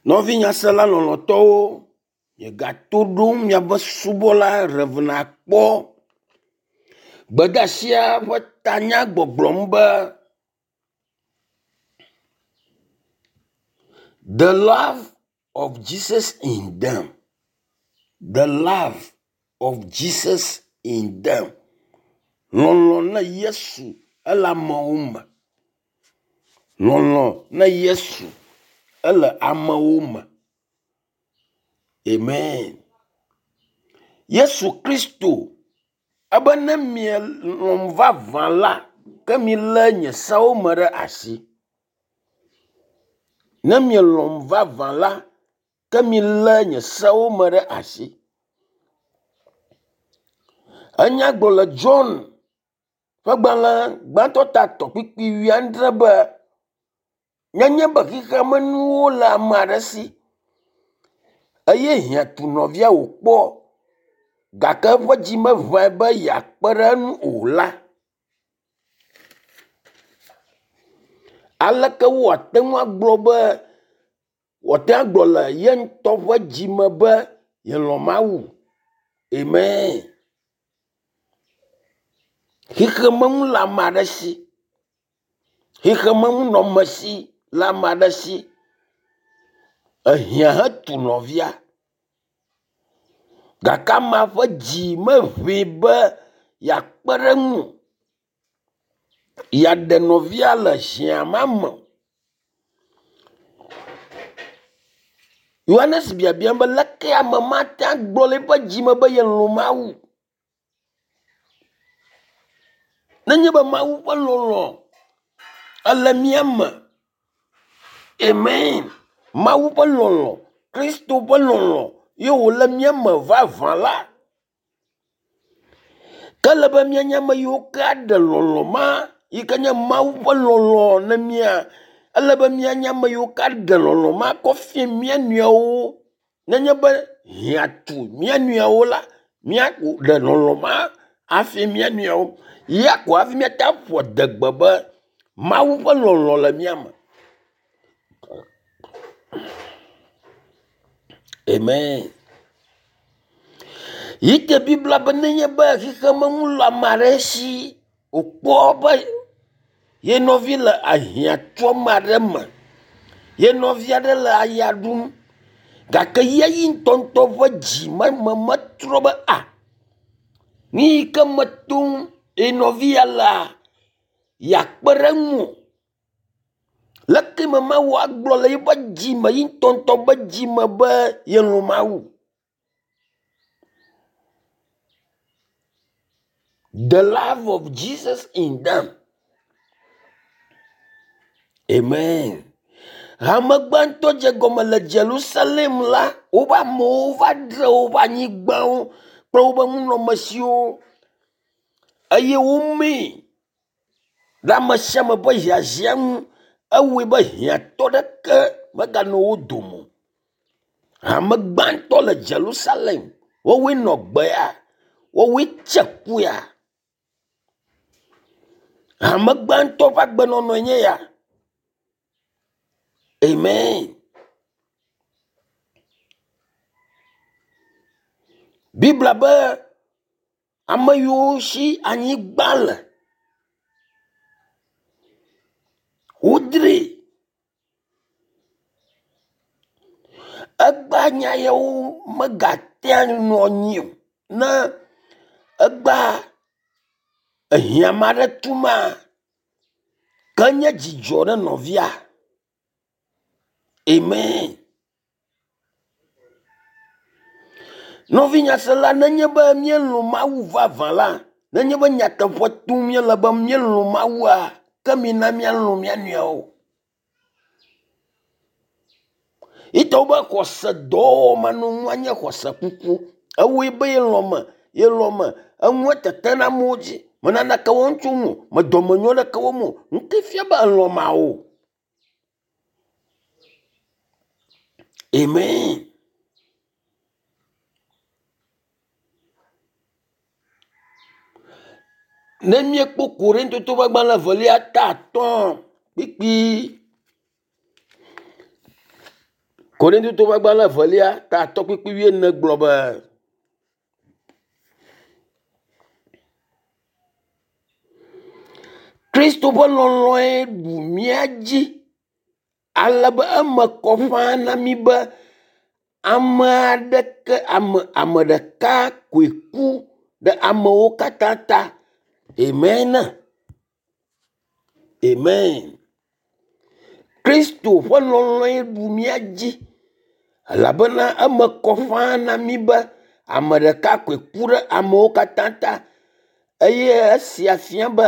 Nɔvinyasela lɔlɔ̃tɔwo, miegato ɖom miaƒe subɔla Rev. Akpɔ. Gbedeasia ƒe tanya gbɔgblɔm be the love of Jesus in them. The love of Jesus in them. Lɔlɔ̃ na Yesu ele amewo me. Lɔlɔ̃ na Yesu ele amewo me. Amen. Yesu Kristo ebe ne mielɔ̃m vavã la, ke milé nye sewo me ɖe asi. Ne mielɔ̃m vavã la, ke milé nye sewo me ɖe asi. Enya gblɔ le John ƒe gbalẽ gbãtɔ ta tɔ̃ kpukpui wuiadre be nenye be xexeamenuwo le ame aɖe si eye hiã tu nɔvia wòkpɔ gake eƒe dzi meʋãe be yeakpe ɖe eŋu o la, aleke wòate ŋu agblɔ be wòate ŋu agblɔ le ye ŋutɔ ƒe dzi me be yelɔ̃ Mawu? Amen. Xexemenu le ame aɖe si. Xexemenunɔamesi le ame aɖe si. Ehiã hetu nɔvia gake amea ƒe dzi meʋãe be yeakpe ɖe eŋu o, yeaɖe nɔvia le hiã ma me o. Yohanes biabiam be leke ame ma ate agblɔ le eƒe dzi me be yelɔ̃ Mawu? Nenye be Mawu ƒe lɔlɔ̃ ele mía me. Amen. Mawu ƒe lɔlɔ̃, Kristo ƒe lɔlɔ̃ ye wòle mía me vavã la. Ke ele be míanye ame yiwo ke aɖe lɔlɔ̃ ma yi ke nye Mawu ƒe lɔlɔ̃ ne mía. Ele be míanye ame yiwo ke aɖe lɔlɔ̃ ma kɔ fia mía nɔewo. Nenye be hiã tu mía nɔewo la, míaɖe lɔlɔ̃ ma afia mía nɔewo. Ya ko hafi míate ƒo adegbe be Mawu ƒe lɔlɔ̃ le mía me. Amen. Yi te Biblia be nenye be xexemenu le ame aɖe si wòkpɔ be ye nɔvi le ahiãtuame aɖe me, ye nɔvi aɖe le aya ɖum gake ye ŋutɔŋutɔ ƒe dzi me metrɔ be a nu yi ke me tom ye nɔvi ya lea, yeakpe ɖe eŋu o. Leke me Mawu agblɔ le eƒe dzi me, ye ŋutɔŋutɔ ƒe dzi me be yelɔ̃ Mawu? The love of Jesus in them. Amen. Hame gbãtɔ dze gɔme le Jerusalem la, woƒe amewo va ɖe woƒe anyigbawo kple woƒe nunɔamesiwo eye womee ɖe ame sia ame ƒe hiahiã ŋu. Ewɔe be hiãtɔ ɖeke meganɔ wo dome o. Hame gbãtɔ le Jerusalem, woawoe nɔ gbea, woawoe tse kuya. Hame gbãtɔ ƒe agbenɔnɔe nye ya. Amen. Biblia be ame yiwo si anyigba le, wodroe. Egbea nya yawo megatea nɔ anyi o. Ne egbea ehiã ame aɖe tuma, ke nye dzidzɔ ne nɔvia. Amen. Nɔvinyasela, nenye be míelɔ̃ Mawu vavã la, nenye be nyateƒe tom míele be míelɔ̃ Mawua, ke mina míalɔ̃ mía nɔewo. Yitɔwo be xɔse dɔwɔwɔ manɔŋua nye xɔse kuku. Ewɔe be yelɔ̃ me, yelɔ̃ me. Enua tete ɖe amewo dzi. Me naneke wɔm tso ŋu o. Me dɔmenyo ɖeke wɔm o. Nu ke fia be elɔ̃ Mawu. Amen. Ne míekpɔ Korintoto ƒe agbalẽ evelia ta atɔ̃ kpukpui Korintotɔwo ƒe agbalẽ evelia ta atɔ̃ kpukpui wuiene gblɔ be Kristo ƒe lɔlɔ̃e ɖu mía dzi ale be eme kɔ ƒãa na mí be ame aɖeke ame ame ɖeka koe ku ɖe amewo katã ta. Amen. Amen. Kristo ƒe lɔlɔ̃e ɖu mía dzi elabena eme kɔ ƒãa na mí be ame ɖeka koe ku ɖe amewo katã ta eye esia fia be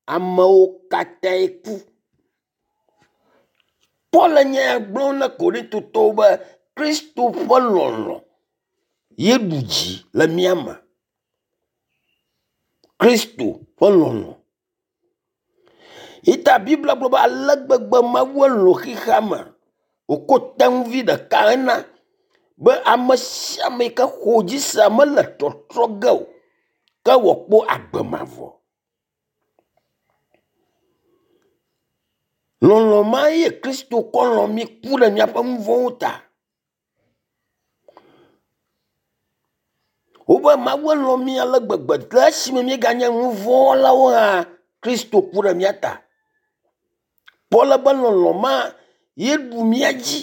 amewo katãe ku. Paul le nya ya gblɔm na Korintotɔwo be Kristo ƒe lɔlɔ̃ ye ɖu dzi le mía me. Kristo ƒe lɔlɔ̃. Yi ta Biblia gblɔ be ale gbegbe Mawu lɔ̃ xexea me wòko tenuvi ɖeka hena be ame sia ame yi ke xɔ dzi sea mele tɔtrɔ ge o ke wòakpɔ agbe mavɔ. Lɔlɔ̃ ma ye Kristo kɔ lɔ̃ mí ku ɖe míaƒe nu vɔ̃wo ta. Wobe Mawu lɔ̃ mí ale gbegbe le esime míeganye nu vɔ̃wɔlawo hã, Kristo ku ɖe mía ta. Paul be lɔlɔ̃ ma ye ɖu mía dzi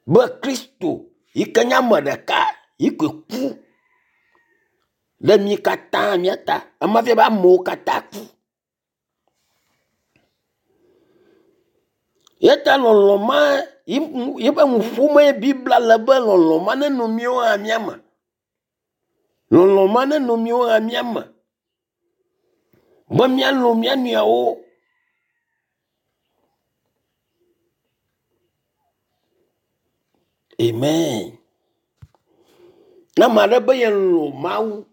be Kristo yi ke nye ame ɖeka yi koe ku ɖe mí katã mía ta. Ema fia be amewo katã ku. Eya ta lɔlɔ̃ ma yiƒe nu ƒom Biblia le be lɔlɔ̃ ma nenɔ míawo hã mía me. Lɔlɔ̃ ma nenɔ míawo hã mía me be míalɔ̃ mía nɔewo. Amen. Ne ame aɖe be yelɔ̃ Mawu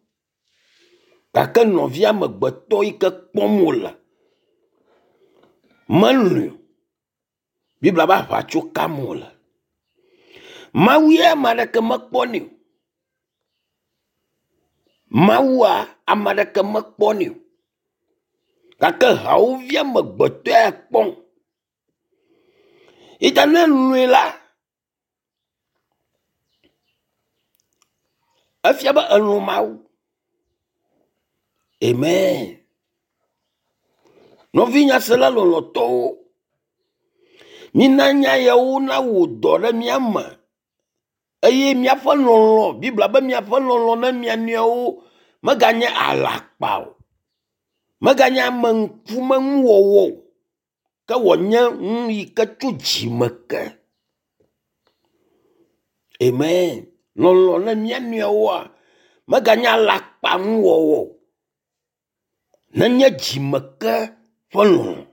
gake nɔvia amegbetɔ yi ke kpɔm wòle melɔ̃e o. Biblia be aʋatso kam wòle. Mawu ya ame aɖeke mekpɔnɛ o. Mawua ame aɖeke mekpɔnɛ o. Gake hawòvi amegbetɔ ya kpɔm. Yi ta ne elɔ̃e la, efia be elɔ̃ Mawu. Amen. Nɔvi nyasela lɔlɔ̃tɔwo, mina nya yawo nawɔ dɔ ɖe mía me eye míaƒe lɔlɔ̃, Biblia be míaƒe lɔlɔ̃ ne mia nɔewo meganye alakpa o, meganye ameŋkumenuwɔwɔ o, ke wòanye nu yi ke tso dzime ke. Amen. Lɔlɔ̃ ne mía nɔewoa meganye alakpanuwɔwɔ o, nenye dzime ke ƒe lɔlɔ̃.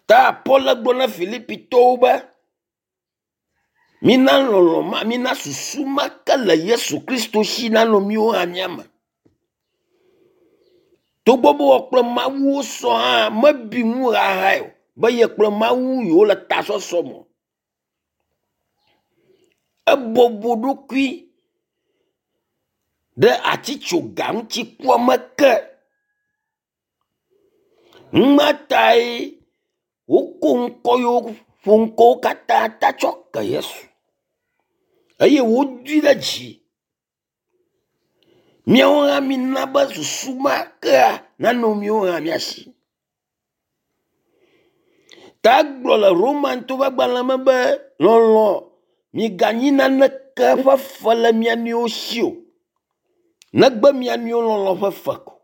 Ta Paul gblɔ na Filipitɔwo be mina lɔlɔ̃ ma, mina susu ma ke le Yesu Kristo si nanɔ míwo hã mía me. Togbɔ be wɔ kple Mawu sɔ hã mebi nu xaxae o be ye kple Mawu yewo le tasɔsɔ me. Ebɔbɔ ɖokui ɖe atitsoga ŋuti kua me ke. Numa tae woko ŋkɔ yiwo ƒo ŋkɔwo katã ta tsɔ ke Yesu eye wodui ɖe dzi. Míawo hã mina be susu ma kea nanɔ míawo hã mía si. Ta egblɔ le Romantɔwo ƒe agbalẽ me be lɔlɔ̃ miganyi naneke ƒe fe le mia nɔewo si o negbe mia nɔewo lɔlɔ̃ ƒe fe ko.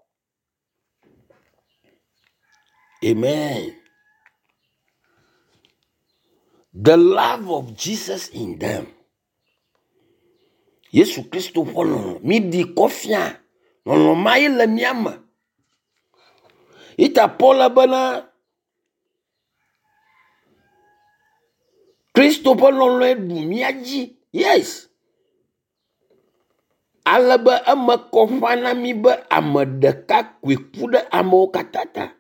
Amen. The love of Jesus in them. Yesu Kristo ƒe lɔlɔ̃ miɖi kɔ fia lɔlɔ̃ ma ye le mía me. Ita Paul bena Kristo ƒe lɔlɔ̃e ɖu mía dzi. Yes. Ale be eme kɔ ƒã na mí be ame ɖeka koe ku ɖe amewo katã ta.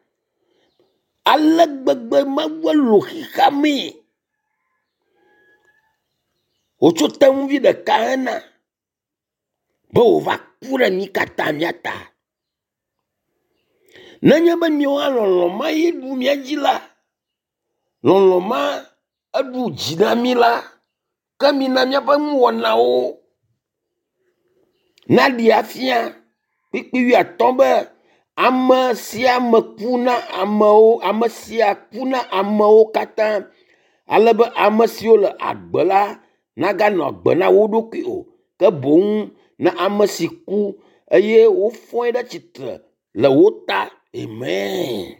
Ale gbegbe Mawu lɔ̃ xexea mee wòtso tenuvi ɖeka hena be wòva ku ɖe mí katã mía ta. Nenye be miawo hã lɔlɔ̃ ma ye ɖu mía dzi la, lɔlɔ̃ ma eɖu dzi na mí la, ke mina míaƒe nuwɔnawo naɖee afia kpukpui wuiatɔ̃ be ame sia ame ku na amewo, ame sia ku na amewo katã ale be ame siwo le agbe la naganɔ agbe na wo ɖokui o ke boŋ na ame si ku eye wofɔe ɖe tsitre le wo ta. Amen.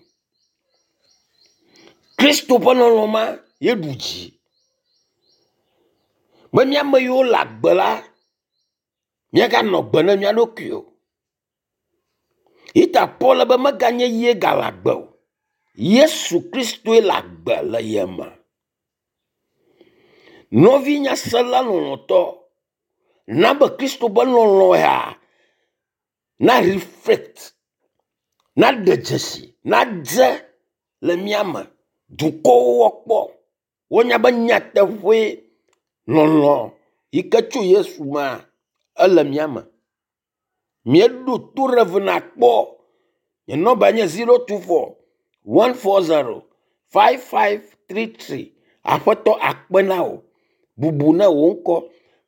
Kristo ƒe lɔlɔ̃ ma ye ɖu dzi be mía ame yiwo le agbe la míaganɔ agbe na mía ɖokui o. Yi ta Paul be meganye ye gale agbe o. Yesu Kristoe le agbe le ye me. Nɔvi nyasela lɔlɔ̃tɔ, na be Kristo ƒe lɔlɔ̃ ya na reflect, naɖe dzesi, nadze le mía me. Dukɔwo woakpɔ, woanya be nyateƒee lɔlɔ̃ yi ke tso Yesu mea, ele mía me. Míeɖo to Rev. Akpɔ. Nye nɔmba nye 024 140 5533. Aƒetɔ akpe na wò. Bubu ne wò ŋkɔ.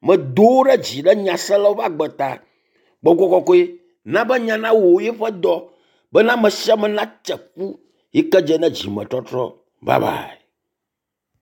Medo wo ɖe dzi ɖe nyaselawo ƒe agbe ta. Gbɔgbɔ kɔkɔe na be nya nawɔ yeƒe dɔ bena ame sia ame natse ku yi ke dze na dzimetɔtrɔ. Bye bye.